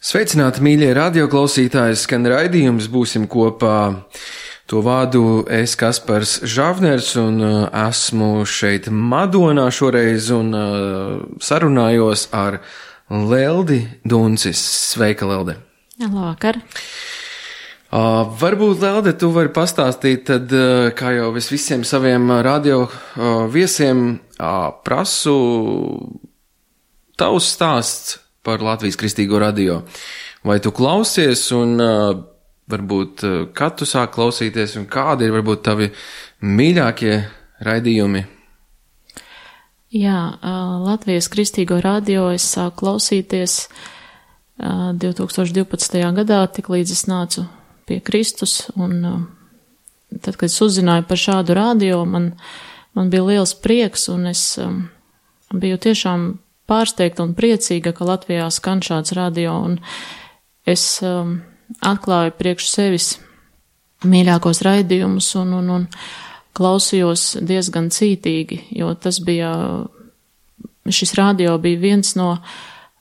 Sveicināti, mīļie radioklausītāji, skan raidījums, būsim kopā. To vādu es, Kaspars Žavners, un esmu šeit Madonā šoreiz un sarunājos ar Leldi Duncis. Sveika, Lelde! Labvakar! Varbūt, Lelde, tu vari pastāstīt, tad, kā jau es visiem saviem radio viesiem prasu, tavs stāsts par Latvijas Kristīgo radio. Vai tu klausies un varbūt kad tu sāk klausīties un kādi ir varbūt tavi mīļākie raidījumi? Jā, Latvijas Kristīgo radio es sāku klausīties 2012. gadā, tik līdz es nācu pie Kristus, un tad, kad es uzzināju par šādu radio, man bija liels prieks, un es biju tiešām pārsteigta un priecīga, ka Latvijā skan šāds radio, un es atklāju priekš sevis mīļākos raidījumus un klausījos diezgan cītīgi, jo šis radio bija viens no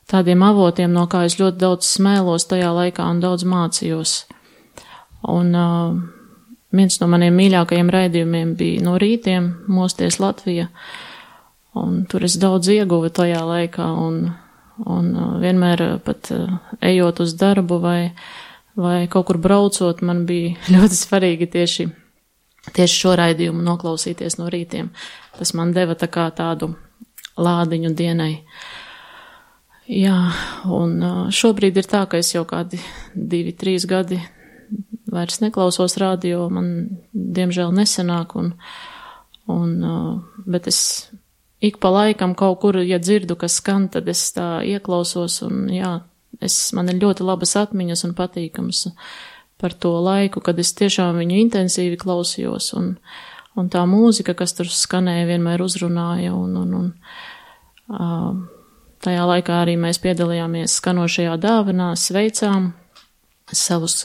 tādiem avotiem, no kā es ļoti daudz smēlos tajā laikā un daudz mācījos. Un viens no maniem mīļākajiem raidījumiem bija No rītiem Mosties Latvija, un tur es daudz ieguvu tajā laikā, un vienmēr pat ejot uz darbu vai kaut kur braucot, man bija ļoti svarīgi tieši šo raidījumu noklausīties no rītiem. Tas man deva tā kā tādu lādiņu dienai. Jā, un šobrīd ir tā, ka es jau kādi 2-3 gadi vairs neklausos radio, man diemžēl nesanāk, bet es ik pa laikam kaut kur, ja dzirdu, kas skan, tad es tā ieklausos, un jā, man ir ļoti labas atmiņas un patīkams par to laiku, kad es tiešām viņu intensīvi klausījos, un tā mūzika, kas tur skanēja, vienmēr uzrunāja, un tajā laikā arī mēs piedalījāmies skanošajā dāvanā, sveicām savus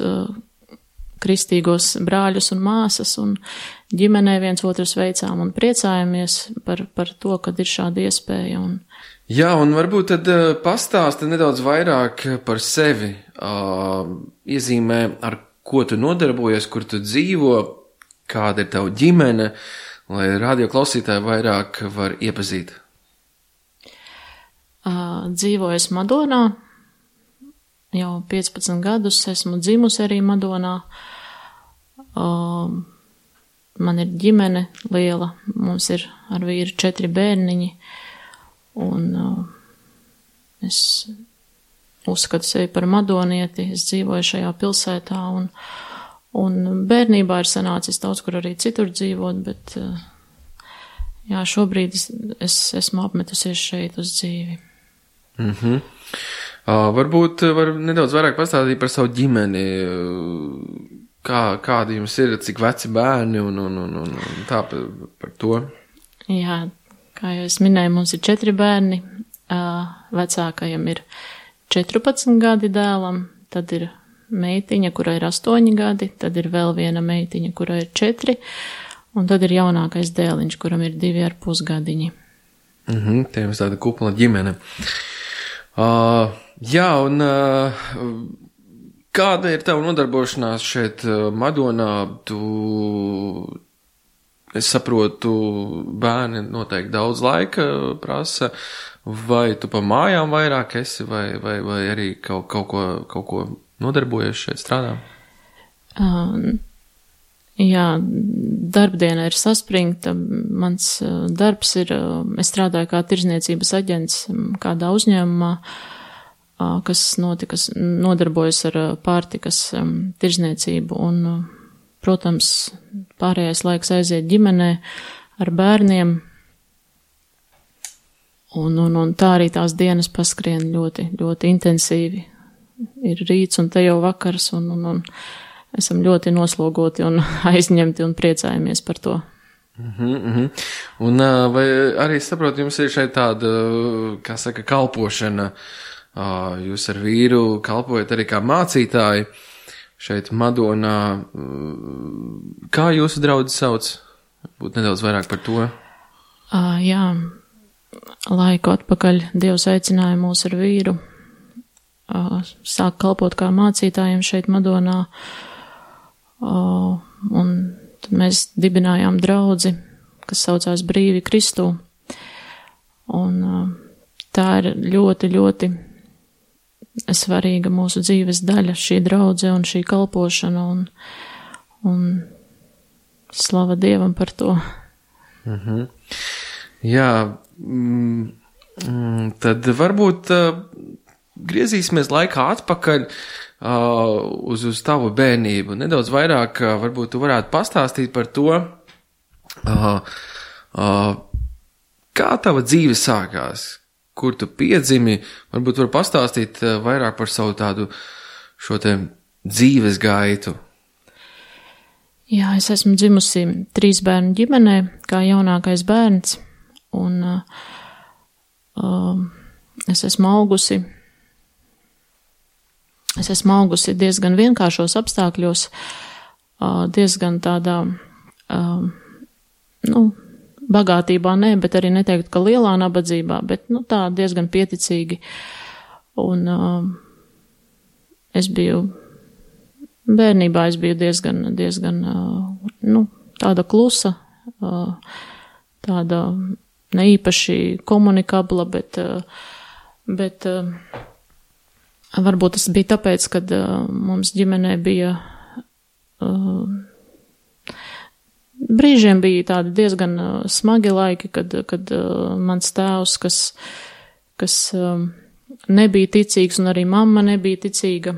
kristīgos brāļus un māsas, un ģimenē viens otru sveicām un priecājamies par to, kad ir šāda iespēja. Jā, un varbūt tad pastāsti nedaudz vairāk par sevi, iezīmē, ar ko tu nodarbojies, kur tu dzīvo, kāda ir tava ģimene, lai radio klausītāji vairāk var iepazīt. Dzīvoju es Madonā, jau 15 gadus, esmu dzimusi arī Madonā. Man ir ģimene liela, mums ir ar vīru 4 bērniņi, un es uzskatu sevi par madonieti, es dzīvoju šajā pilsētā, un bērnībā ir sanācis daudz, kur arī citur dzīvot, bet jā, šobrīd es esmu apmetusies šeit uz dzīvi. Varbūt var nedaudz vairāk pastāstīt par savu ģimeni, kādi jums ir, cik veci bērni un tā par to. Jā, kā jau es minēju, mums ir 4 bērni, vecākajam ir 14 gadi dēlam, tad ir meitiņa, kurai ir 8 gadi, tad ir vēl viena meitiņa, kurai ir 4, un tad ir jaunākais dēliņš, kuram ir 2,5 gadiņi. Tie jums tāda kupla ģimene. Jā, un kāda ir tava nodarbošanās šeit Madonā? Es saprotu, bērni noteikti daudz laika prasa, vai tu pa mājām vairāk esi, vai arī kaut ko nodarbojies šeit strādā? Jā, darbdiena ir saspringta. Mans darbs ir, es strādāju kā tirzniecības aģents kādā uzņēmumā, kas nodarbojas ar pārtikas tirzniecību, un, protams, pārējais laiks aiziet ģimenē ar bērniem, un tā arī tās dienas paskrien ļoti, ļoti intensīvi. Ir rīts un te jau vakars, un esam ļoti noslogoti un aizņemti un priecājamies par to. Un vai arī saprotu, jums ir šeit tāda, kā saka, kalpošana, jūs ar vīru kalpojat arī kā mācītāji šeit Madonā. Kā jūsu draudzi sauc? Būt nedaudz vairāk par to. Jā, laiku atpakaļ Dievs aicināja mūs ar vīru sāk kalpot kā mācītājiem šeit Madonā, un tad mēs dibinājām draudzi, kas saucās Brīvi Kristū, un tā ir ļoti, ļoti svarīga mūsu dzīves daļa, šī draudze un šī kalpošana, un slava Dievam par to. Mhm. Jā, tad varbūt griezīsimies laikā atpakaļ uz tavu bērnību. Nedaudz vairāk varbūt tu varētu pastāstīt par to, kā tava dzīve sākās, kur tu piedzimi, varbūt var pastāstīt vairāk par savu tādu šo te dzīves gaitu. Jā, es esmu dzimusi 3 bērnu ģimenē, kā jaunākais bērns, un es esmu augusi diezgan vienkāršos apstākļos, diezgan tādā, bagātībā nē, bet arī neteikt, ka lielā nabadzībā, bet, tā diezgan pieticīgi. Un bērnībā es biju diezgan, tāda klusa, tāda neīpaši komunikabla, bet varbūt tas bija tāpēc, kad mums ģimenē bija brīžiem bija tādi diezgan smagi laiki, kad mans tēvs, kas nebija ticīgs, un arī mamma nebija ticīga,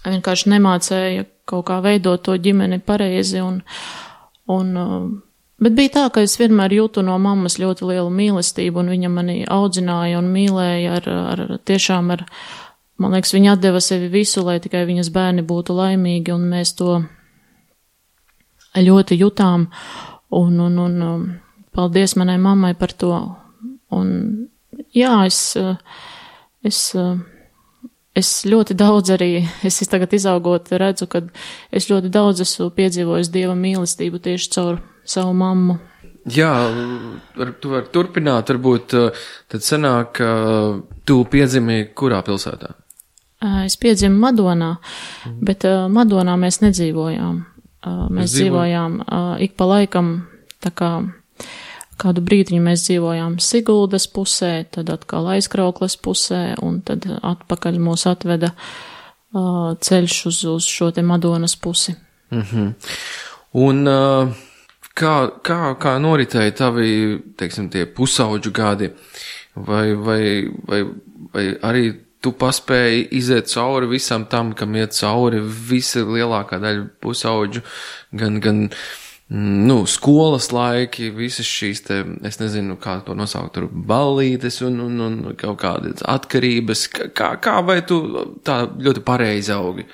vienkārši nemācēja kaut kā veidot to ģimeni pareizi, bet bija tā, ka es vienmēr jūtu no mammas ļoti lielu mīlestību, un viņa mani audzināja un mīlēja tiešām ar, man liekas, viņa atdeva sevi visu, lai tikai viņas bērni būtu laimīgi, un mēs to ļoti jutām, un paldies manai mammai par to. Un jā, es ļoti daudz arī, es tagad izaugot redzu, kad es ļoti daudz esmu piedzīvojis Dieva mīlestību tieši caur savu mammu. Jā, tu vari turpināt, varbūt tad sanāk, tu piedzimi kurā pilsētā? Es piedzimu Madonā, bet Madonā mēs nedzīvojām. Mēs dzīvojām ik pa laikam, tā kā kādu brīdiņu mēs dzīvojām Siguldas pusē, tad atkal Aizkraukles pusē, un tad atpakaļ mūs atveda ceļš uz šo te Madonas pusi. Mhm. Un kā noritēja tavi, teiksim, tie pusauģu gadi, vai arī tu paspēji iziet cauri visam tam, kam iet cauri visa lielākā daļa pusauģu, gan skolas laiki, visas šīs te, es nezinu, kā to nosaukt, tur ballītes un kaut kādas atkarības, kā vai tu tā ļoti pareizi augi?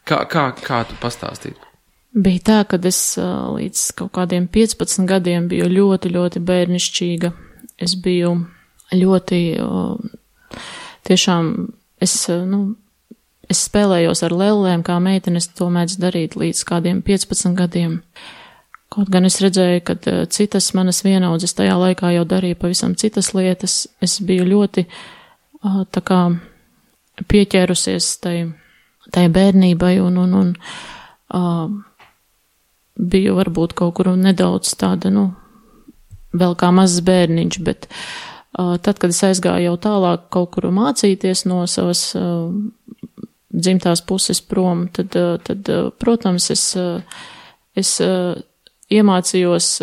Kā tu pastāstīji? Bija tā, kad es līdz kaut kādiem 15 gadiem biju ļoti, ļoti bērnišķīga. Es biju ļoti tiešām es spēlējos ar lellēm, kā meitenes to mēdz darīt līdz kādiem 15 gadiem. Kaut gan es redzēju, ka citas manas vienaudzes tajā laikā jau darīja pavisam citas lietas. Es biju ļoti tā kā pieķērusies tai bērnībai un biju varbūt kaut kur nedaudz tāda, vēl kā mazs bērniņš, bet tad, kad es aizgāju jau tālāk kaut kur mācīties no savas dzimtās puses prom, tad protams, es mācījos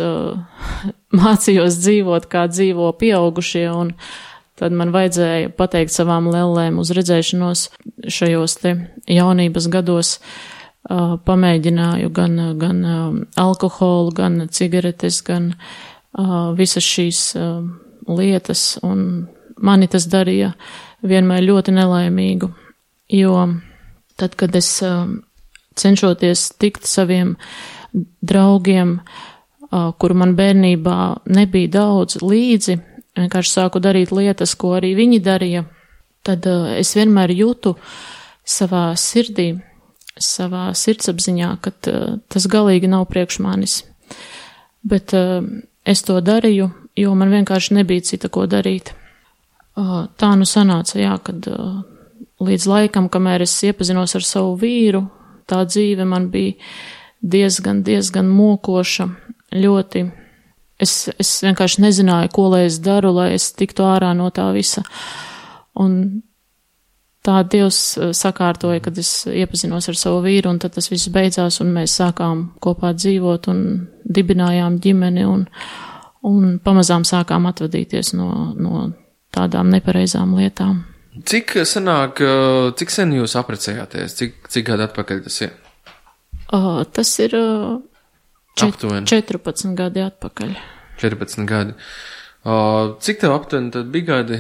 dzīvot, kā dzīvo pieaugušie, un tad man vajadzēja pateikt savām lellēm uz redzēšanos šajos te jaunības gados. Pamēģināju gan alkoholu, gan cigaretes, gan visas šīs lietas, un mani tas darīja vienmēr ļoti nelaimīgu, jo tad, kad es cenšoties tikt saviem draugiem, kuru man bērnībā nebija daudz līdzi, vienkārši sāku darīt lietas, ko arī viņi darīja, tad es vienmēr jūtu savā sirdī, savā sirdsapziņā, ka tas galīgi nav priekš manis. Bet es to darīju, jo man vienkārši nebija cita ko darīt. Tā sanāca, jā, kad līdz laikam, kamēr es iepazinos ar savu vīru, tā dzīve man bija diezgan mokoša, ļoti. Es vienkārši nezināju, ko lai es daru, lai es tiktu ārā no tā visa. Un tā Dievs sakārtoja, kad es iepazinos ar savu vīru, un tad tas viss beidzās, un mēs sākām kopā dzīvot un dibinājām ģimeni, un pamazām sākām atvadīties no tādām nepareizām lietām. Cik sen jūs apprecējāties? Cik gadu atpakaļ tas ir? Tas ir 14 gadi atpakaļ. 14 gadi. Cik tev aptuveni tad bija gadi?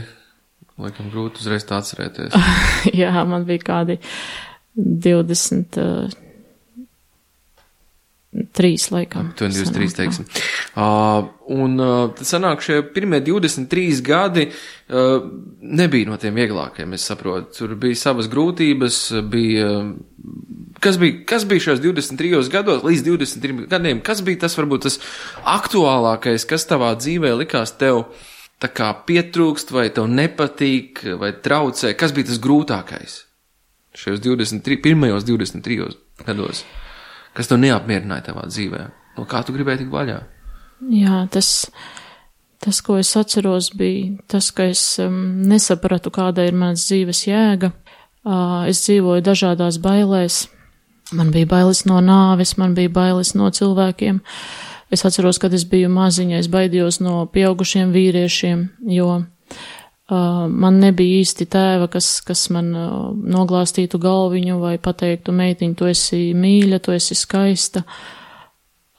Laikam grūti uzreiz tā atcerēties. Jā, man bija kādi 23 laikam. 23, teiksim. Un tad sanāk, šie pirmie 23 gadi nebija no tiem vieglākajiem, es saprotu. Tur bija savas grūtības, Kas bija šajos 23 gados, līdz 23 gadiem? Kas bija tas, varbūt tas aktuālākais, kas tavā dzīvē likās tev tā kā pietrūkst, vai tev nepatīk, vai traucē? Kas bija tas grūtākais šajos pirmajos 23 gados? Kas tev neapmierināja tavā dzīvē? No kā tu gribēji tikt vaļā? Jā, tas, ko es atceros, bija tas, ka es nesapratu, kāda ir manas dzīves jēga. Es dzīvoju dažādās bailēs. Man bija bailes no nāves, man bija bailes no cilvēkiem. Es atceros, kad es biju maziņa, es baidījos no pieaugušiem vīriešiem, jo man nebija īsti tēva, kas man noglāstītu galviņu vai pateiktu, meitiņ, tu esi mīļa, tu esi skaista.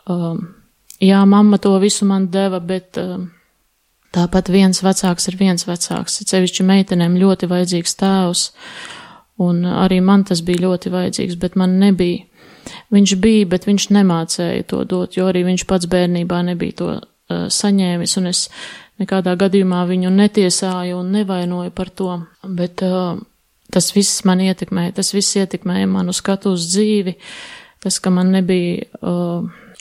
Jā, mamma to visu man deva, bet tāpat viens vecāks ir viens vecāks. Cevišķi meitenēm ļoti vajadzīgs tēvs. Un arī man tas bija ļoti vajadzīgs, bet man nebija. Viņš bija, bet viņš nemācēja to dot, jo arī viņš pats bērnībā nebija to saņēmis, un es nekādā gadījumā viņu netiesāju un nevainoju par to. Bet tas viss man ietekmēja, tas viss ietekmēja manu skatu uz dzīvi, tas, ka man nebija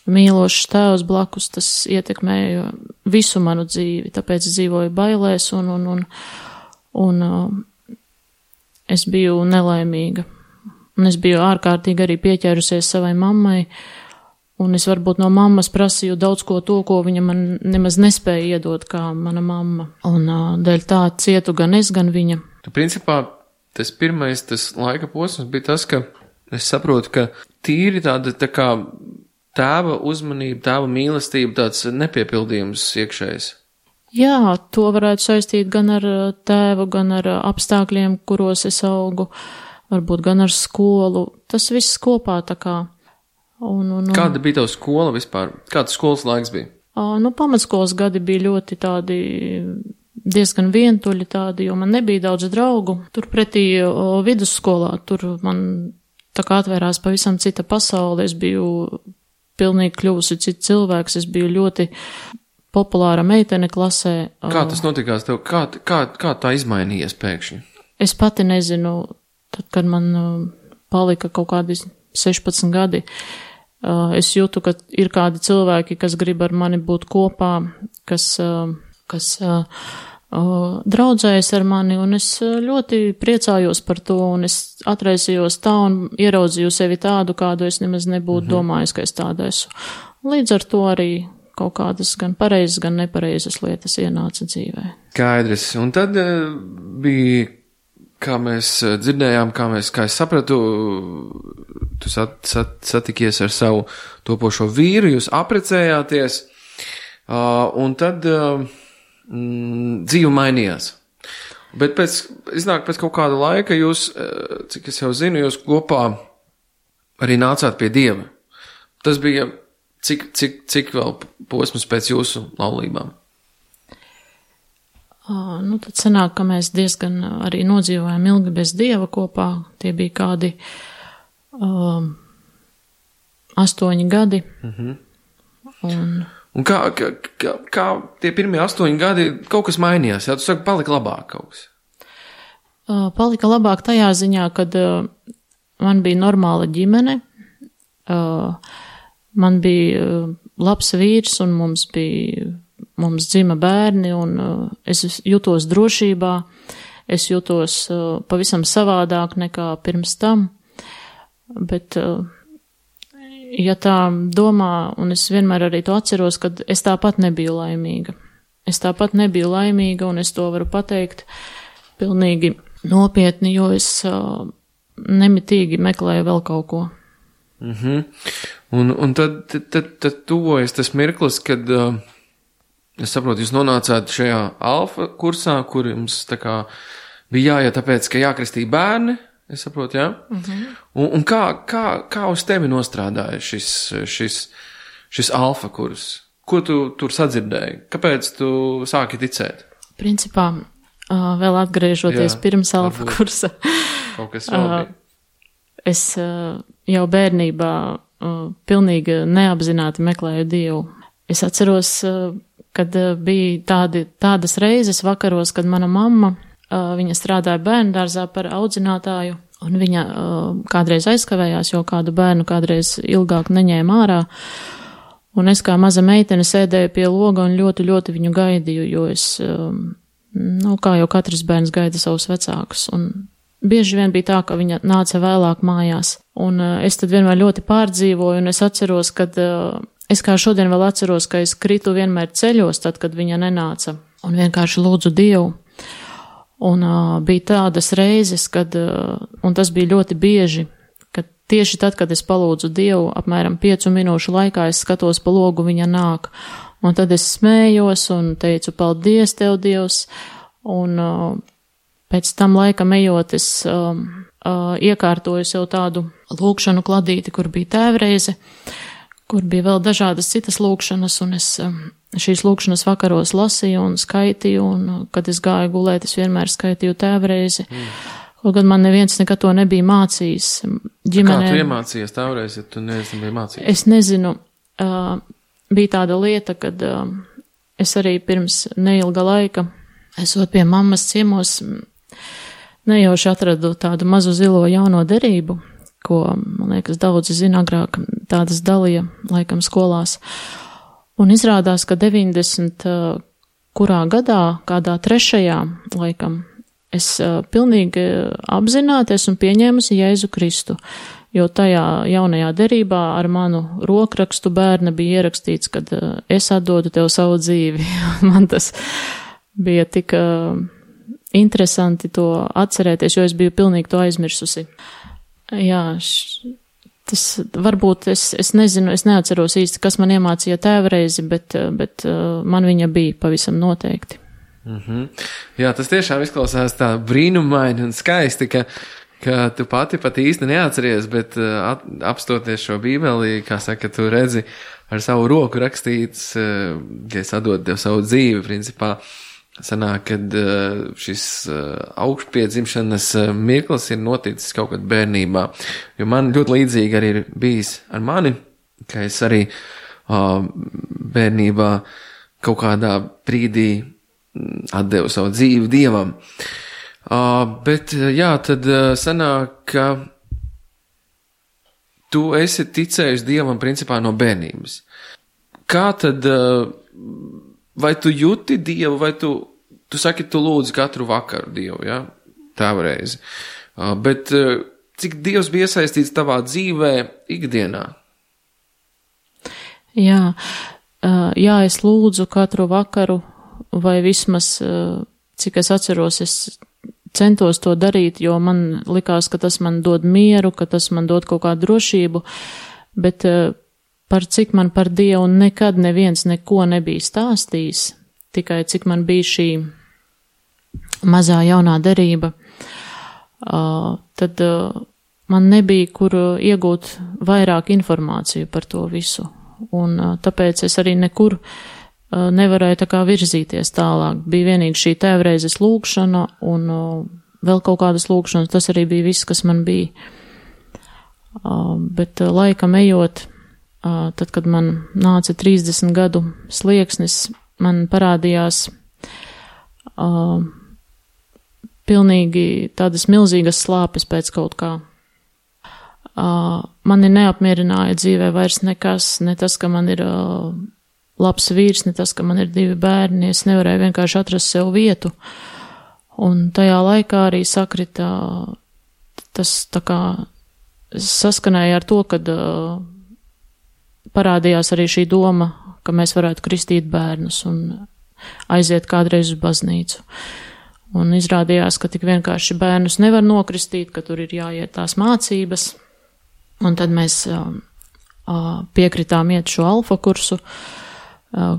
mīlošs tēvs blakus, tas ietekmēja visu manu dzīvi, tāpēc dzīvoju bailēs un es biju nelaimīga. Un es biju ārkārtīgi arī pieķērusies savai mammai, un es varbūt no mammas prasīju daudz ko to, ko viņa man nemaz nespēja iedot, kā mana mamma. Un dēļ tā cietu gan es, gan viņa. Principā tas pirmais, tas laika posms bija tas, ka es saprotu, ka tīri tāda tā kā tēva uzmanība, tēva mīlestība, tāds nepiepildījums iekšējs. Jā, to varētu saistīt gan ar tēvu, gan ar apstākļiem, kuros es augu, varbūt gan ar skolu. Tas viss kopā tā kā. Kāda bija tava skola vispār? Kāds skolas laiks bija? Pamatskolas gadi bija ļoti tādi diezgan vientuļi tādi, jo man nebija daudz draugu. Turpretī vidusskolā, tur man tā kā atvērās pavisam cita pasaule. Es biju pilnīgi kļuvusi cits cilvēks, es biju ļoti populāra meitene klasē. Kā tas notikās tev? Kā tā izmainījies pēkšņi? Es pati nezinu, tad, kad man palika kaut kādi 16 gadi, es jūtu, ka ir kādi cilvēki, kas grib ar mani būt kopā, kas draudzējas ar mani, un es ļoti priecājos par to, un es atraisījos tā un ieraudzīju sevi tādu, kādu es nemaz nebūtu domājis, ka es tāda esmu. Līdz ar to arī kaut kādas gan pareizas, gan nepareizas lietas ienāca dzīvē. Skaidrs. Un tad bija, kā mēs dzirdējām, kā es sapratu, tu satikies ar savu topošo vīru, jūs apprecējāties, un tad dzīve mainījās. Bet pēc kaut kāda laika jūs, cik es jau zinu, jūs kopā arī nācāt pie Dieva. Tas bija Cik vēl posms pēc jūsu laulībām? Tad sanāk, ka mēs diezgan arī nodzīvojām ilgi bez Dieva kopā. Tie bija kādi 8 gadi. Un kā tie pirmie 8 gadi kaut kas mainījās? Jā, tu saki, palika labāk kaut kas? Palika labāk tajā ziņā, kad man bija normāla ģimene, man bija labs vīrs un mums dzima bērni un es jutos drošībā. es jūtos pavisam savādāk nekā pirms tam, bet, ja tā domā, un es vienmēr arī to atceros, kad es tāpat nebiju laimīga. Es tāpat nebiju laimīga, un es to varu pateikt pilnīgi nopietni, jo es nemitīgi meklēju vēl kaut ko. Un tad tuvojas tas mirklis, kad, es saprotu, jūs nonācāt šajā alfa kursā, kur jums tā kā bija jāiet tāpēc, ka jākristī bērni, es saprotu, jā? Un kā uz tevi nostrādāja šis alfa kurs? Ko tu tur sadzirdēji? Kāpēc tu sāki ticēt? Principā, vēl atgriežoties pirms alfa kursa. Kaut kas vēl bija. Es jau bērnībā pilnīgi neapzināti meklēju Dievu. Es atceros, kad bija tādas reizes vakaros, kad mana mamma, viņa strādāja bērndārzā par audzinātāju, un viņa kādreiz aizkavējās, jo kādu bērnu kādreiz ilgāk neņēma ārā, un es kā maza meitene sēdēju pie loga un ļoti, ļoti viņu gaidīju, jo es, kā jau katrs bērns gaida savus vecākus, un bieži vien bija tā, ka viņa nāca vēlāk mājās, un es tad vienmēr ļoti pārdzīvoju, un es atceros, kad, es kā šodien vēl atceros, ka es kritu vienmēr ceļos, tad, kad viņa nenāca, un vienkārši lūdzu Dievu, un bija tādas reizes, kad, un tas bija ļoti bieži, kad tieši tad, kad es palūdzu Dievu, apmēram 5 minūšu laikā es skatos pa logu, viņa nāk, un tad es smējos un teicu, paldies Tev, Dievs, un pēc tam laikam ejot, es iekārtoju sev tādu lūkšanu kladīti, kur bija tēvreize, kur bija vēl dažādas citas lūkšanas, un es šīs lūkšanas vakaros lasīju un skaitīju, un kad es gāju gulēt, es vienmēr skaitīju tēvreizi. Kaut gan man neviens nekad to nebija mācījis. Ģimenē... Kā tu iemācījies tēvreizi, ja tu nebija mācījis? Es nezinu. Bija tāda lieta, kad es arī pirms neilga laika, esot pie mammas ciemos, nejauši atradu tādu mazu zilo jauno derību, ko, man liekas, daudzi zina agrāk, tādas dalīja, laikam, skolās. Un izrādās, ka 90. kurā gadā, kādā 3. laikam, es pilnīgi apzināti esmu pieņēmusi Jēzu Kristu, jo tajā jaunajā derībā ar manu rokrakstu bērna bija ierakstīts, kad es atdodu Tev savu dzīvi. Man tas bija tik interesanti to atcerēties, jo es biju pilnīgi to aizmirsusi. Jā, tas varbūt es nezinu, es neatceros īsti, kas man iemācīja tēvreizi, bet man viņa bija pavisam noteikti. Jā, tas tiešām izklausās tā brīnumaini un skaisti, ka tu pat īsti neatceries, bet apstoties šo bībeli, kā saka, tu redzi ar savu roku rakstīts, ja es atdodu Tev savu dzīvi, principā, sanāk, kad šis augšpiedzimšanas mirklis ir noticis kaut kad bērnībā, jo man ļoti līdzīgi arī ir bijis ar mani, ka es arī bērnībā kaut kādā brīdī atdevu savu dzīvi Dievam. Bet jā, tad sanāk, ka tu esi ticējis Dievam principā no bērnības. Kā tad, vai tu jūti Dievu, vai tu saki, tu lūdzi katru vakaru Dievu, ja? Tēvreizi. Bet cik Dievs bija iesaistīts tavā dzīvē ikdienā? Jā, es lūdzu katru vakaru, vai vismaz, cik es atceros, es centos to darīt, jo man likās, ka tas man dod mieru, ka tas man dod kaut kādu drošību, bet par cik man par Dievu nekad neviens neko nebija stāstījis, tikai cik man bija šī mazā jaunā derība, tad man nebija, kur iegūt vairāk informāciju par to visu. Un tāpēc es arī nekur nevarēju tā kā virzīties tālāk. Bija vienīgi šī tēvreizes lūkšana un vēl kaut kādas lūkšanas, tas arī bija viss, kas man bija. Bet laikam ejot, tad, kad man nāca 30 gadu slieksnis, man parādījās pilnīgi tādas milzīgas slāpes pēc kaut kā. Mani neapmierināja dzīvē vairs nekas, ne tas, ka man ir labs vīrs, ne tas, ka man ir 2 bērni, es nevarēju vienkārši atrast sev vietu. Un tajā laikā arī sakrita tas tā kā saskanēja ar to, kad parādījās arī šī doma, ka mēs varētu kristīt bērnus un aiziet kādreiz uz baznīcu. Un izrādījās, ka tik vienkārši bērnus nevar nokristīt, ka tur ir jāiet tās mācības. Un tad mēs piekritām iet šo alfa kursu,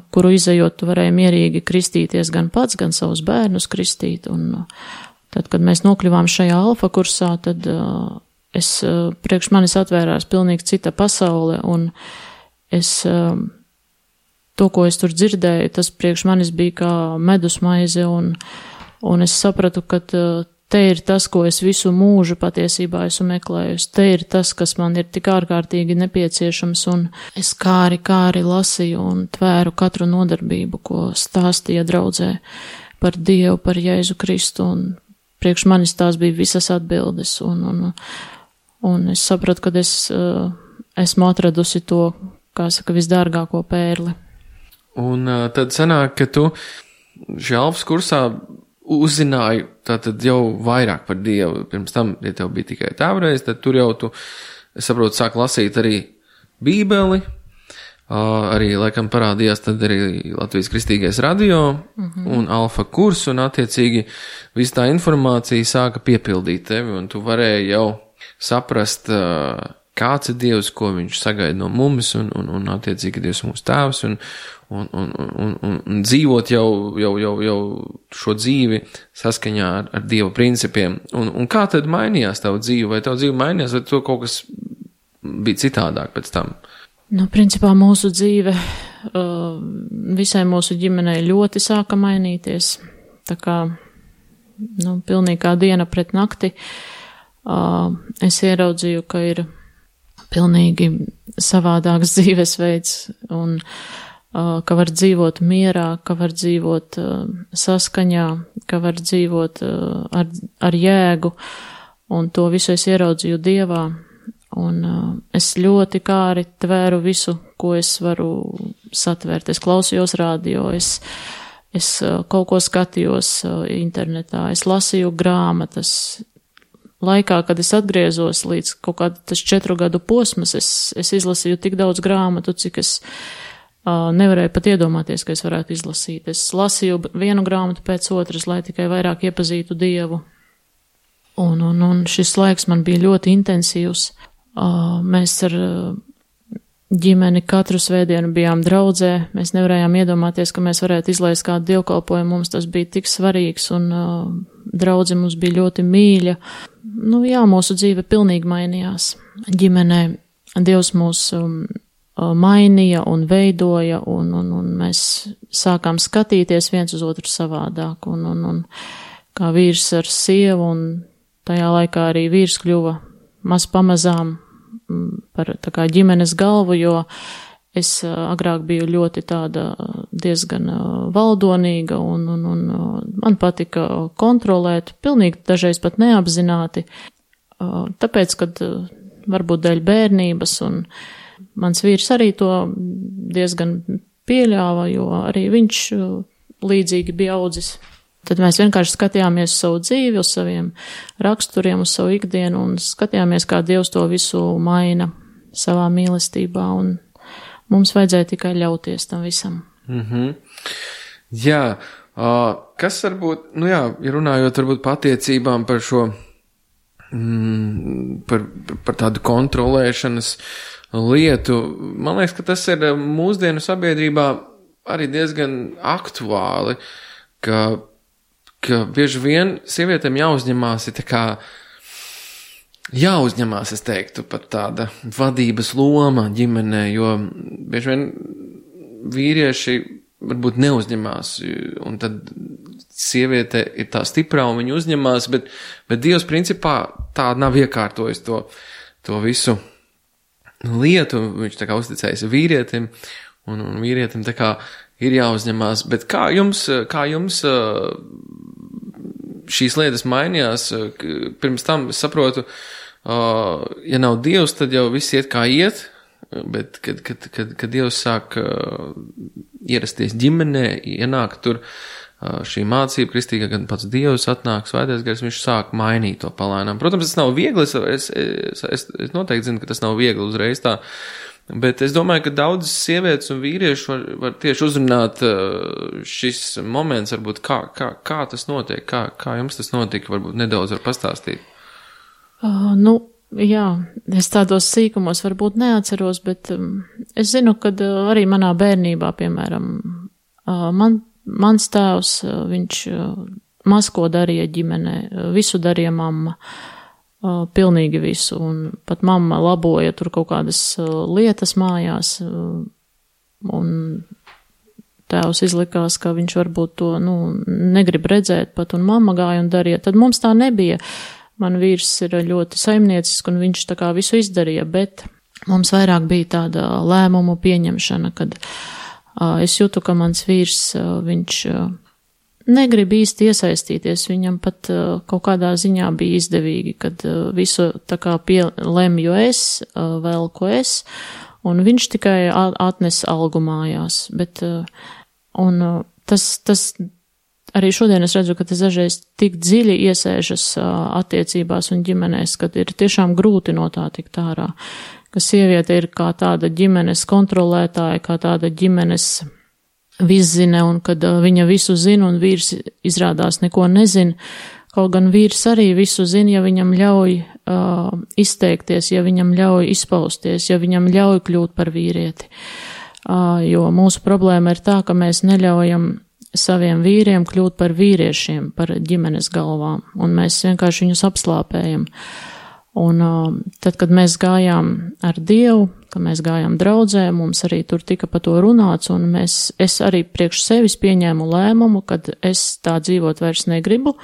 kuru izejot, tu varēji mierīgi kristīties gan pats, gan savus bērnus kristīt. Un tad, kad mēs nokļuvām šajā alfa kursā, tad priekš manis atvērās pilnīgi cita pasaule, un to, ko es tur dzirdēju, tas priekš manis bija kā medus maize, un es sapratu, ka te ir tas, ko es visu mūžu patiesībā esmu meklējusi. Te ir tas, kas man ir tik ārkārtīgi nepieciešams, un es kāri lasīju un tvēru katru nodarbību, ko stāstīja draudzē par Dievu, par Jēzu Kristu, un priekš manis tās bija visas atbildes, un es sapratu, ka esmu atradusi to, kā saka, visdārgāko pērli. Un tad sanāk, ka tu šajā alfas kursā uzzināji tātad jau vairāk par Dievu. Pirms tam, ja tev bija tikai tēvreiz, tad tur jau tu, es saprotu, sāk lasīt arī Bībeli, arī, laikam, parādījās tad arī Latvijas Kristīgais radio un alfa kurs, un attiecīgi viss tā informācija sāka piepildīt tevi, un tu varēji jau saprast, kāds ir Dievs, ko viņš sagaida no mums, un attiecīgi Dievs mūsu tēvs, un dzīvot jau šo dzīvi saskaņā ar Dieva principiem. Un kā tad mainījās tavu dzīvi? Vai tavu dzīvi mainījās, vai to kaut kas bija citādāk pēc tam? Nu, principā mūsu dzīve visai mūsu ģimenei ļoti sāka mainīties. Tā kā, pilnīgi kā diena pret nakti. Es ieraudzīju, ka ir pilnīgi savādāks dzīvesveids, un ka var dzīvot mierā, ka var dzīvot saskaņā, ka var dzīvot ar jēgu, un to visu es ieraudzīju Dievā, un es ļoti kāri tvēru visu, ko es varu satvērt. Es klausījos radio, es kaut ko skatījos internetā, es lasīju grāmatas. Laikā, kad es atgriezos līdz kaut kādu tas 4 gadu posmas, es izlasīju tik daudz grāmatu, cik es nevarēju pat iedomāties, ka es varētu izlasīt. Es lasīju vienu grāmatu pēc otras, lai tikai vairāk iepazītu Dievu. Un šis laiks man bija ļoti intensīvs. Mēs ar ģimeni katru svētdienu bijām draudzē. Mēs nevarējām iedomāties, ka mēs varētu izlaist kādu dievkalpojumu. Mums tas bija tik svarīgs, un draudze mums bija ļoti mīļa. Mūsu dzīve pilnīgi mainījās. Ģimenē Dievs mūs mainīja un veidoja, un mēs sākām skatīties viens uz otru savādāk, un kā vīrs ar sievu, un tajā laikā arī vīrs kļuva maz pamazām par tā kā ģimenes galvu, jo es agrāk biju ļoti tāda diezgan valdonīga, un man patika kontrolēt, pilnīgi dažreiz pat neapzināti, tāpēc, kad varbūt dēļ bērnības, un mans vīrs arī to diezgan pieļāva, jo arī viņš līdzīgi bija audzis. Tad mēs vienkārši skatījāmies uz savu dzīvi, uz saviem raksturiem, uz savu ikdienu, un skatījāmies, kā Dievs to visu maina savā mīlestībā, un mums vajadzēja tikai ļauties tam visam. Jā, kas varbūt, ja runājot varbūt par attiecībām, par šo, par tādu kontrolēšanas lietu, man liekas, ka tas ir mūsdienu sabiedrībā arī diezgan aktuāli, ka bieži vien sievietēm jāuzņemās, es teiktu, pat tāda vadības loma ģimenē, jo bieži vien vīrieši varbūt neuzņemās, un tad sieviete ir tā stiprā un viņa uzņemās, bet Dievs principā tā nav iekārtojis to visu lietu, viņš tā kā uzticējis vīrietim, un vīrietim tā kā ir jāuzņemās, bet kā jums šīs lietas mainījās? Pirms tam, es saprotu, ja nav Dievs, tad jau viss iet kā iet, bet kad Dievs sāk ierasties ģimenē, ienāk tur, šī mācība kristīgā, gan pats Dievs atnāk, Svētais Gars, viņš sāk mainīt to palēnām. Protams, tas nav viegli, es noteikti zinu, ka tas nav viegli uzreiz tā, bet es domāju, ka daudzas sievietes un vīrieši var tieši uzrunāt šis moments, varbūt kā tas notiek, kā jums tas notika, varbūt nedaudz var pastāstīt. Jā, es tādos sīkumos varbūt neatceros, bet es zinu, ka arī manā bērnībā, piemēram, mans tēvs, viņš maz ko darīja ģimenē, visu darīja mamma, pilnīgi visu, un pat mamma laboja tur kaut kādas lietas mājās, un tēvs izlikās, ka viņš varbūt to, negrib redzēt pat, un mamma gāja un darīja, tad mums tā nebija. Man vīrs ir ļoti saimniecisks, un viņš tā kā visu izdarīja, bet mums vairāk bija tāda lēmumu pieņemšana, kad es jūtu, ka mans vīrs, viņš negrib īsti iesaistīties, viņam pat kaut kādā ziņā bija izdevīgi, kad visu tā kā lemju es, velku es, un viņš tikai atnes algu mājās, bet, un tas arī šodien es redzu, ka tas dažreiz tik dziļi iesēžas attiecībās un ģimenēs, kad ir tiešām grūti no tā tikt ārā, ka sieviete ir kā tāda ģimenes kontrolētāja, kā tāda ģimenes viszine, un kad viņa visu zina un vīrs izrādās neko nezina, kaut gan vīrs arī visu zina, ja viņam ļauj izteikties, ja viņam ļauj izpausties, ja viņam ļauj kļūt par vīrieti. Jo mūsu problēma ir tā, ka mēs neļaujam saviem vīriem kļūt par vīriešiem, par ģimenes galvām, un mēs vienkārši viņus apslāpējam. Un tad, kad mēs gājām ar Dievu, kad mēs gājām draudzē, mums arī tur tika par to runāts, un es arī priekš sevis pieņēmu lēmumu, kad es tā dzīvot vairs negribu.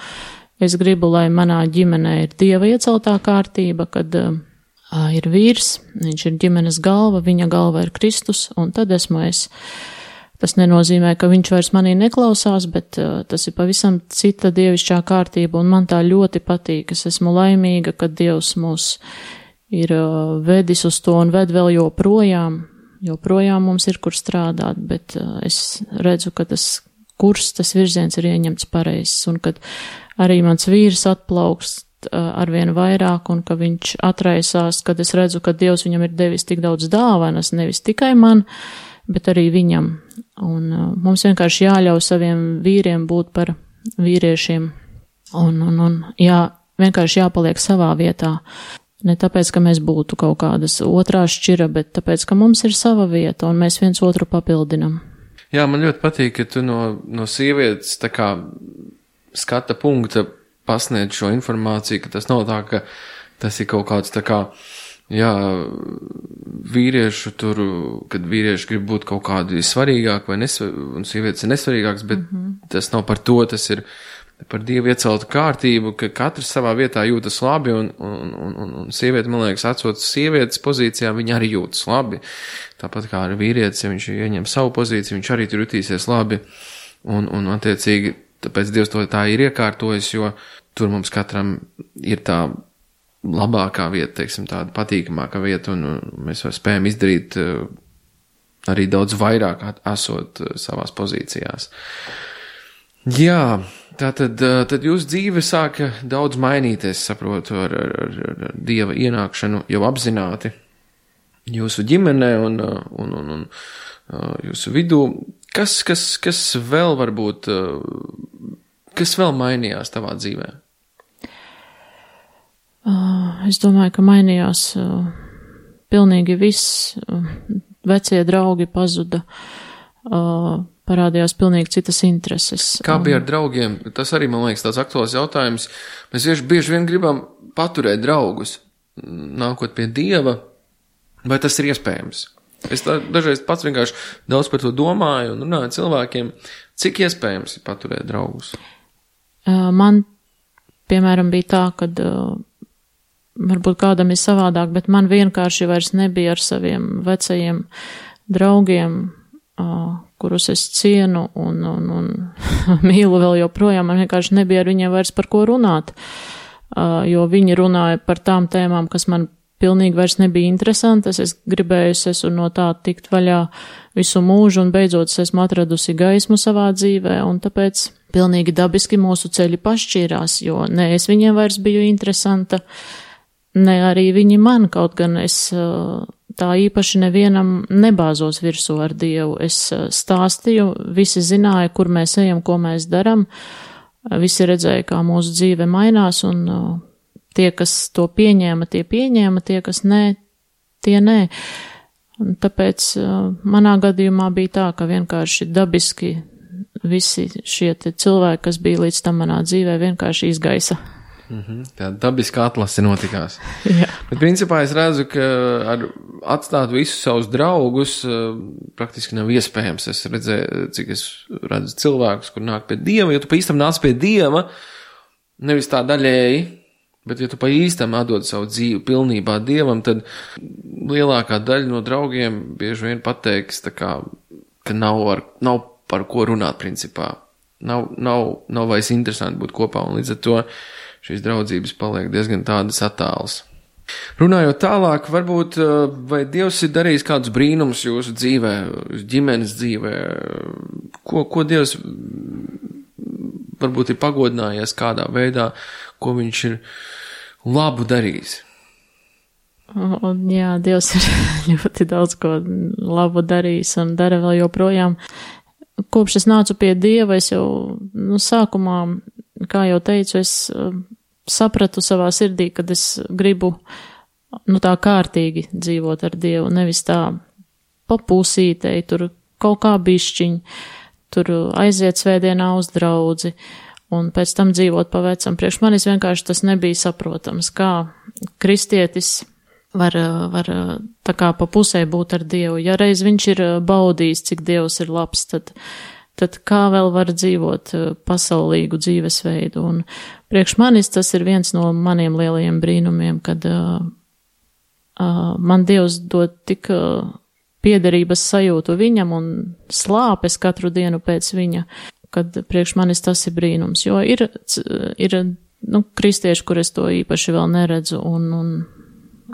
Es gribu, lai manā ģimenē ir Dieva ieceltā kārtība, kad ir vīrs, viņš ir ģimenes galva, viņa galva ir Kristus, un tad esmu es. Tas nenozīmē, ka viņš vairs manī neklausās, bet tas ir pavisam cita dievišķā kārtība, un man tā ļoti patīk. Es esmu laimīga, ka Dievs mūs ir vedis uz to un ved vēl joprojām mums ir kur strādāt, bet es redzu, ka tas virziens ir ieņemts pareizs, un kad arī mans vīrs atplaukst arvien vairāk, un ka viņš atraisās, kad es redzu, ka Dievs viņam ir devis tik daudz dāvanas, nevis tikai man, bet arī viņam. Un mums vienkārši jāļauj saviem vīriem būt par vīriešiem. Un vienkārši jāpaliek savā vietā. Ne tāpēc, ka mēs būtu kaut kādas otrā šķira, bet tāpēc, ka mums ir sava vieta un mēs viens otru papildinam. Jā, man ļoti patīk, ka tu no sievietes tā kā skata punkta pasniedz šo informāciju, ka tas nav tā, ka tas ir kaut kāds tā kā vīriešu tur, kad vīrieši grib būt kaut kādi svarīgāki un sievietes ir nesvarīgāks, bet tas nav par to, tas ir par Dievu ieceltu kārtību, ka katrs savā vietā jūtas labi, un sieviete, man liekas, atsot sievietes pozīcijā, viņa arī jūtas labi. Tāpat kā ar vīrietis, ja viņš ieņem savu pozīciju, viņš arī tur jutīsies labi, un attiecīgi, tāpēc Dievs to tā ir iekārtojis, jo tur mums katram ir tā labākā vieta, teiksim, tāda patīkamākā vieta, un mēs spējam izdarīt arī daudz vairāk esot savās pozīcijās. Jā, tad jūsu dzīve sāka daudz mainīties, saprotu, ar Dieva ienākšanu jau apzināti jūsu ģimenē un jūsu vidū. Kas vēl varbūt, kas vēl mainījās tavā dzīvē? Es domāju, ka mainījās pilnīgi viss. Vecie draugi pazuda, parādījās pilnīgi citas intereses. Kā bija ar draugiem? Tas arī, man liekas, tāds aktuāls jautājums. Mēs bieži vien gribam paturēt draugus, nākot pie Dieva, vai tas ir iespējams? Es dažreiz pats vienkārši daudz par to domāju un runāju cilvēkiem, cik iespējams ir paturēt draugus? Man, piemēram, bija tā, kad varbūt kādam ir savādāk, bet man vienkārši vairs nebija ar saviem vecajiem draugiem, kurus es cienu un mīlu vēl joprojām. Man vienkārši nebija ar viņiem vairs par ko runāt, jo viņi runāja par tām tēmām, kas man pilnīgi vairs nebija interesantas. Es gribēju no tā tikt vaļā visu mūžu, un beidzot es esmu atradusi gaismu savā dzīvē, un tāpēc pilnīgi dabiski mūsu ceļi pašķīrās, jo ne es viņiem vairs biju interesanta, ne arī viņi man, kaut gan es tā īpaši nevienam nebāzos virsū ar Dievu. Es stāstīju, visi zināja, kur mēs ejam, ko mēs daram, visi redzēja, kā mūsu dzīve mainās, un tie, kas to pieņēma, tie, kas nē, tie nē. Un tāpēc manā gadījumā bija tā, ka vienkārši dabiski visi šie cilvēki, kas bija līdz tam manā dzīvē, vienkārši izgaisa. Tā dabiska atlase notikās. Jā. Bet principā es redzu, ka atstāt visus savus draugus praktiski nav iespējams. Es redzēju, cik es redzu cilvēkus, kur nāk pie Dieva, jo tu pa īstam nāc pie Dieva, nevis tā daļēji, bet ja tu pa īstam atdod savu dzīvi pilnībā Dievam, tad lielākā daļa no draugiem bieži vien pateiks, tā kā, ka nav par ko runāt principā. Nav vairs interesanti būt kopā, un līdz ar to šīs draudzības paliek diezgan tādas attālas. Runājot tālāk, varbūt, vai Dievs ir darījis kādus brīnumus jūsu dzīvē, jūsu ģimenes dzīvē? Ko Dievs varbūt ir pagodinājies kādā veidā, ko viņš ir labu darījis? Jā, Dievs ir ļoti daudz ko labu darījis un dara vēl joprojām. Kopš es nācu pie Dieva, es jau sākumā, kā jau teicu, es sapratu savā sirdī, kad es gribu tā kārtīgi dzīvot ar Dievu, nevis tā pa pusītei, tur kaut kā bišķiņ, tur aiziet svētdienā uz draudzi un pēc tam dzīvot pa vecam. Priekš manis vienkārši tas nebija saprotams, kā kristietis var tā kā pa pusē būt ar Dievu. Ja reiz viņš ir baudījis, cik Dievs ir labs, tad kā vēl var dzīvot pasaulīgu dzīvesveidu. Un priekš manis tas ir viens no maniem lielajiem brīnumiem, kad man Dievs dod tik piederības sajūtu viņam un slāpes katru dienu pēc viņa, kad priekš manis tas ir brīnums. Jo ir kristieši, kur es to īpaši vēl neredzu, un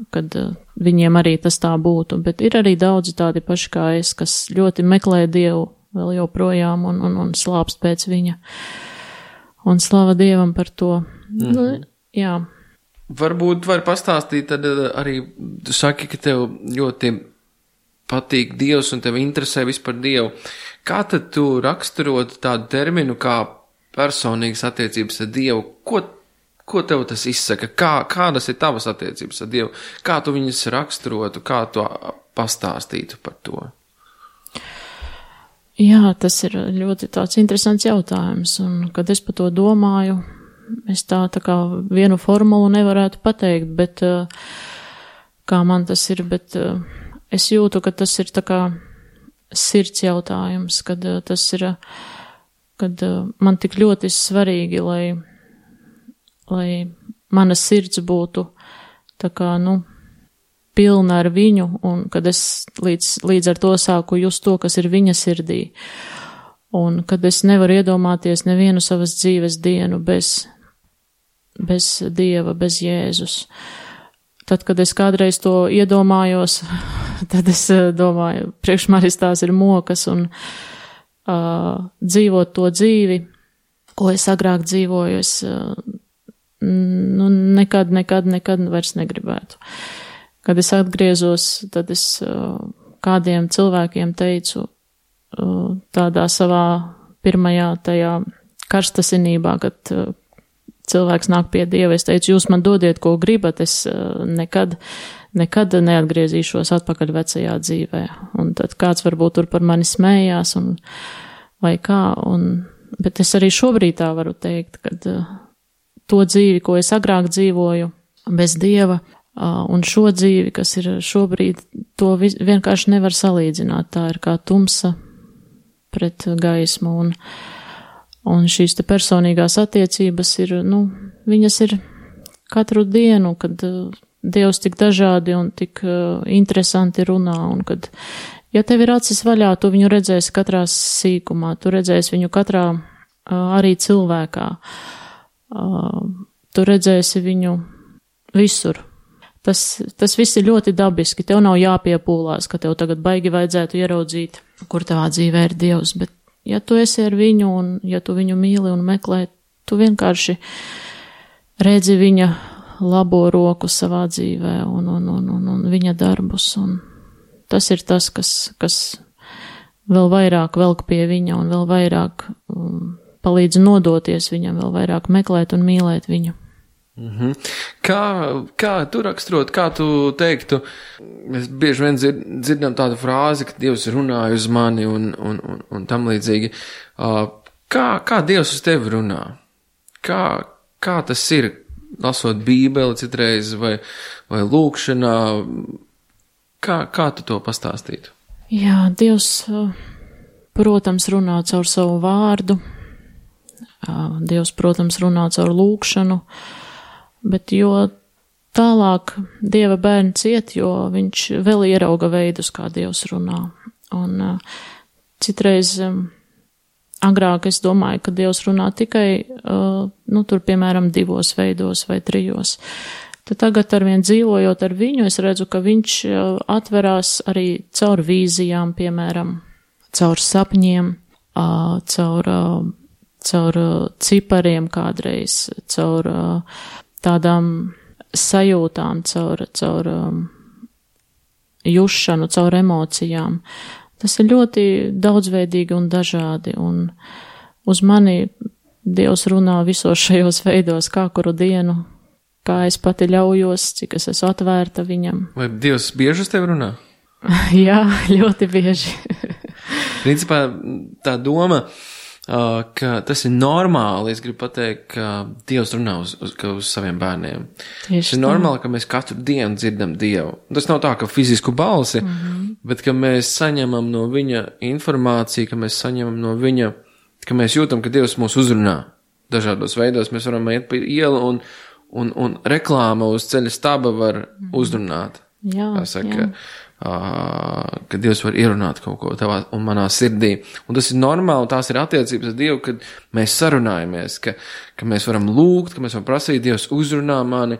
kad viņiem arī tas tā būtu, bet ir arī daudzi tādi paši kā es, kas ļoti meklē Dievu vēl joprojām un slāpst pēc viņa. Un slava Dievam par to. Jā. Varbūt var pastāstīt, tad arī tu saki, ka tev ļoti patīk Dievs un tev interesē vispār Dievu. Kā tad tu raksturot tādu terminu kā personīgas attiecības ar Dievu? Ko tev tas izsaka? Kādas ir tavas attiecības ar Dievu? Kā tu viņas raksturotu? Kā tu pastāstītu par to? Jā, tas ir ļoti tāds interesants jautājums, un kad es par to domāju, es tā kā vienu formulu nevarētu pateikt, bet kā man tas ir, bet es jūtu, ka tas ir tā kā sirds jautājums, kad tas ir, kad man tik ļoti svarīgi, lai mana sirds būtu tā kā, pilna ar viņu, un kad es līdz ar to sāku just to, kas ir viņa sirdī, un kad es nevaru iedomāties nevienu savas dzīves dienu bez Dieva, bez Jēzus. Tad, kad es kādreiz to iedomājos, tad es domāju, priekš manis tās ir mokas, un dzīvot to dzīvi, ko es agrāk dzīvoju, es nekad vairs negribētu. Kad es atgriezos, tad es kādiem cilvēkiem teicu tādā savā pirmajā tajā karstasinībā, kad cilvēks nāk pie Dieva, es teicu, jūs man dodiet, ko gribat, es nekad neatgriezīšos atpakaļ vecajā dzīvē. Un tad kāds varbūt tur par mani smējās, vai kā, bet es arī šobrīd tā varu teikt, kad to dzīvi, ko es agrāk dzīvoju bez Dieva, un šo dzīvi, kas ir šobrīd, to vienkārši nevar salīdzināt. Tā ir kā tumsa pret gaismu, un šīs te personīgās attiecības ir, viņas ir katru dienu, kad Dievs tik dažādi un tik interesanti runā, un kad, ja tev ir acis vaļā, tu viņu redzēsi katrā sīkumā, tu redzēsi viņu katrā arī cilvēkā, tu redzēsi viņu visur. Tas viss ir ļoti dabiski, tev nav jāpiepūlās, ka tev tagad baigi vajadzētu ieraudzīt, kur tavā dzīvē ir Dievs, bet ja tu esi ar viņu un ja tu viņu mīli un meklē, tu vienkārši redzi viņa labo roku savā dzīvē un viņa darbus. Un tas ir tas, kas vēl vairāk velk pie viņa un vēl vairāk palīdz nodoties viņam, vēl vairāk meklēt un mīlēt viņu. Kā tu raksturot, kā tu teiktu, mēs bieži vien dzirdam tādu frāzi, ka Dievs runāja uz mani un tam līdzīgi. Kā Dievs uz tevi runā? Kā tas ir, lasot Bībeli citreiz vai lūkšanā? Kā tu to pastāstītu? Jā, Dievs, protams, runā caur savu vārdu. Dievs, protams, runā caur lūkšanu. Bet jo tālāk Dieva bērns iet, jo viņš vēl ierauga veidus, kā Dievs runā. Un citreiz agrāk es domāju, ka Dievs runā tikai, tur, piemēram, 2 veidos vai 3. Tad tagad arvien dzīvojot ar viņu, es redzu, ka viņš atverās arī caur vīzijām, piemēram, caur sapņiem, caur cipariem kādreiz, caur tādām sajūtām, caur jušanu, caur emocijām. Tas ir ļoti daudzveidīgi un dažādi, un uz mani Dievs runā visos šajos veidos, kā kuru dienu, kā es pati ļaujos, cik es esmu atvērta viņam. Vai Dievs bieži uz tevi runā? Jā, ļoti bieži. Principā tā doma, ka tas ir normāli, es gribu pateikt, ka Dievs runā uz saviem bērniem. Tas ir normāli, ka mēs katru dienu dzirdam Dievu. Tas nav tā, ka fizisku balsi, bet ka mēs saņemam no viņa informāciju, ka mēs saņemam no viņa, ka mēs jūtam, ka Dievs mūs uzrunā dažādos veidos. Mēs varam iet pa ielu un reklāma uz ceļa staba var uzrunāt. Jā, saka, ka Dievs var ierunāt kaut ko tavā un manā sirdī. Un tas ir normāli, tās ir attiecības ar Dievu, kad mēs sarunājamies, ka mēs varam lūgt, ka mēs varam prasīt, Dievs uzrunā mani,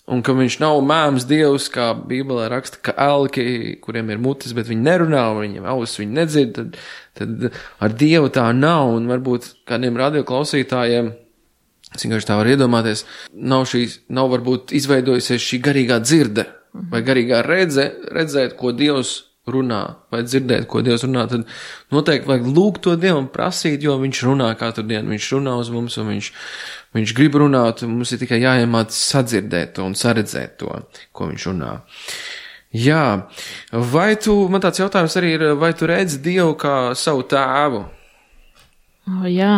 un ka viņš nav mēms Dievs, kā Bībelē raksta, ka elki, kuriem ir mutes, bet viņi nerunā, viņiem ausis viņi nedzird, tad ar Dievu tā nav, un varbūt kādiem radioklausītājiem, es vienkārši tā var iedomāties, nav varbūt izveidojusies šī garīgā dzirde, vai garīgā redzēt, ko Dievs runā, vai dzirdēt, ko Dievs runā, tad noteikti vajag lūgt to Dievu un prasīt, jo viņš runā katru dienu, viņš runā uz mums, un viņš grib runāt, un mums ir tikai jāiemāc sadzirdēt to un saredzēt to, ko viņš runā. Jā, man tāds jautājums arī ir, vai tu redzi Dievu kā savu tēvu? Jā,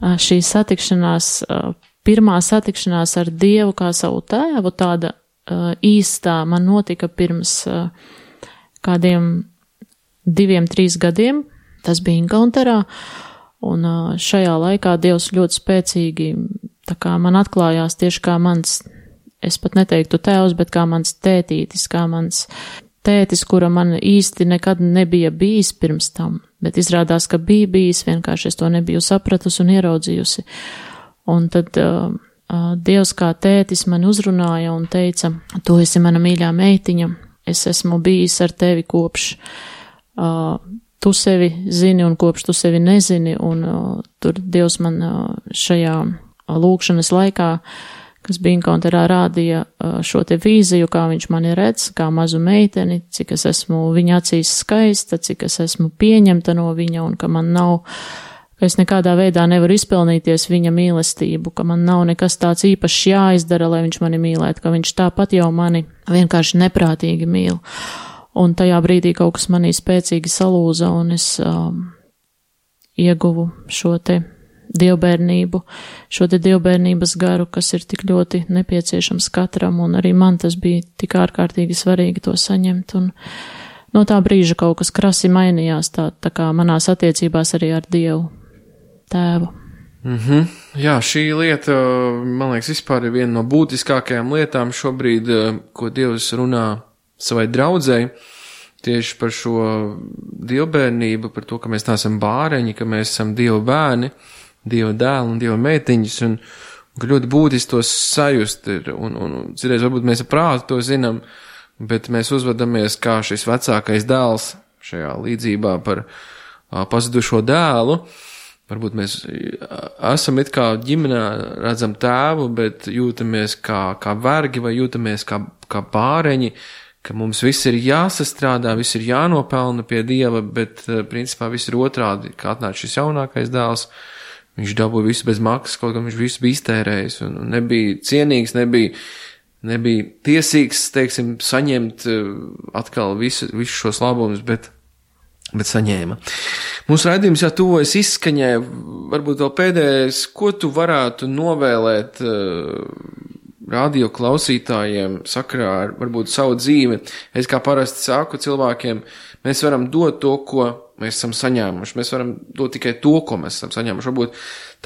šī satikšanās, pirmā satikšanās ar Dievu kā savu tēvu, tāda īstā man notika pirms kādiem 2-3 gadiem. Tas bija Inkaunterā, un šajā laikā Dievs ļoti spēcīgi tā kā man atklājās tieši kā mans, es pat neteiktu tēvs, bet kā mans tētītis, kā mans tētis, kura man īsti nekad nebija bijis pirms tam, bet izrādās, ka bija bijis, vienkārši es to nebiju sapratusi un ieraudzījusi. Un tad Dievs kā tētis man uzrunāja un teica, tu esi mana mīļā meitiņa, es esmu bijis ar tevi kopš tu sevi zini un kopš tu sevi nezini, un tur Dievs man šajā lūkšanas laikā, kas bija Inkaunterā, rādīja šo te vīziju, kā viņš mani redz, kā mazu meiteni, cik es esmu viņa acīs skaista, cik es esmu pieņemta no viņa, un ka man nav, ka es nekādā veidā nevaru izpelnīties viņa mīlestību, ka man nav nekas tāds īpašs jāizdara, lai viņš mani mīlētu, ka viņš tāpat jau mani vienkārši neprātīgi mīl. Un tajā brīdī kaut kas manī spēcīgi salūza, un es ieguvu šo te dievbērnību, šo te dievbērnības garu, kas ir tik ļoti nepieciešams katram, un arī man tas bija tik ārkārtīgi svarīgi to saņemt, un no tā brīža kaut kas krasi mainījās, tā kā manās attiecībās arī ar Dievu tēvu. Jā, šī lieta, man liekas, vispār ir viena no būtiskākajām lietām šobrīd, ko Dievs runā savai draudzei, tieši par šo dievbērnību, par to, ka mēs neesam bāreņi, ka mēs esam Dieva bērni, Dieva dēli un Dieva meitiņas, un ka ļoti būtiski to sajust ir, un citreiz varbūt mēs ar prātu to zinām, bet mēs uzvedamies kā šis vecākais dēls šajā līdzībā par pazudušo dēlu. Varbūt mēs esam it kā ģimenē, redzam tēvu, bet jūtamies kā vergi vai jūtamies kā bāreņi, ka mums viss ir jāsastrādā, viss ir jānopelna pie Dieva, bet principā viss ir otrādi, kā atnāca šis jaunākais dēls. Viņš dabūja visu bez maksas, kaut kā viņš visu bija iztērējis un nebija cienīgs, nebija tiesīgs, teiksim, saņemt atkal visu šos labumus, bet saņēma. Mūsu raidījums jau tuvojas izskaņai, varbūt vēl pēdējais, ko tu varētu novēlēt radio klausītājiem sakarā ar varbūt savu dzīvi. Es kā parasti saku cilvēkiem, mēs varam dot to, ko mēs esam saņēmuši. Mēs varam dot tikai to, ko mēs esam saņēmuši. Varbūt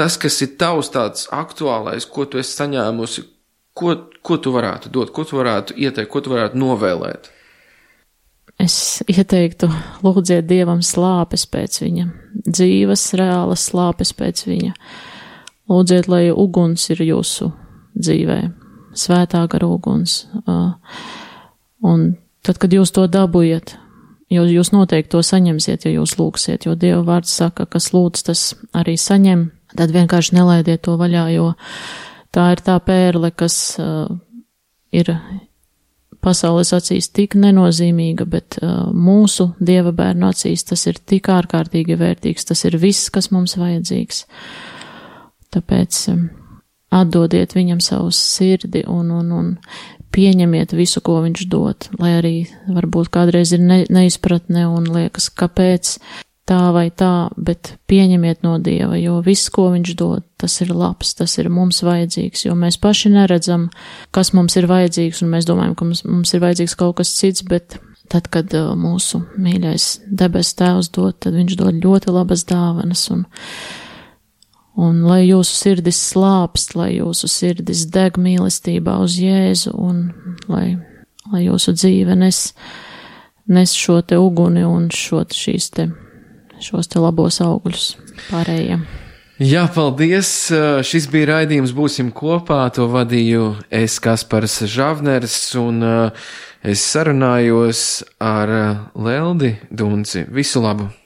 tas, kas ir tavs tāds aktuālais, ko tu esi saņēmusi, ko tu varētu dot, ko tu varētu ieteikt, ko tu varētu novēlēt. Es ieteiktu, lūdziet Dievam slāpes pēc viņa, dzīves, reālas slāpes pēc viņa. Lūdziet, lai uguns ir jūsu dzīvē, svētā gara uguns. Un tad, kad jūs to dabujat, jūs noteikti to saņemsiet, ja jūs lūgsiet, jo Dieva vārds saka, kas lūdz, tas arī saņem, tad vienkārši nelaidiet to vaļā, jo tā ir tā pērle, kas ir pasaules acīs tik nenozīmīga, bet mūsu Dieva bērnu acīs tas ir tik ārkārtīgi vērtīgs, tas ir viss, kas mums vajadzīgs. Tāpēc atdodiet viņam savu sirdi un pieņemiet visu, ko viņš dod, lai arī varbūt kādreiz ir neizpratne un liekas, kāpēc tā vai tā, bet pieņemiet no Dieva, jo viss, ko viņš dod, tas ir labs, tas ir mums vajadzīgs, jo mēs paši neredzam, kas mums ir vajadzīgs, un mēs domājam, ka mums ir vajadzīgs kaut kas cits, bet tad, kad mūsu mīļais debes tēvs dod, tad viņš dod ļoti labas dāvanas, un lai jūsu sirdis slāpst, lai jūsu sirdis deg mīlestībā uz Jēzu, un lai jūsu dzīve nes šo te uguni un šos te labos augļus pārējiem. Jā, paldies. Šis bija raidījums Būsim kopā. To vadīju es, Kaspars Žavners, un es sarunājos ar Leldi Dunci. Visu labu!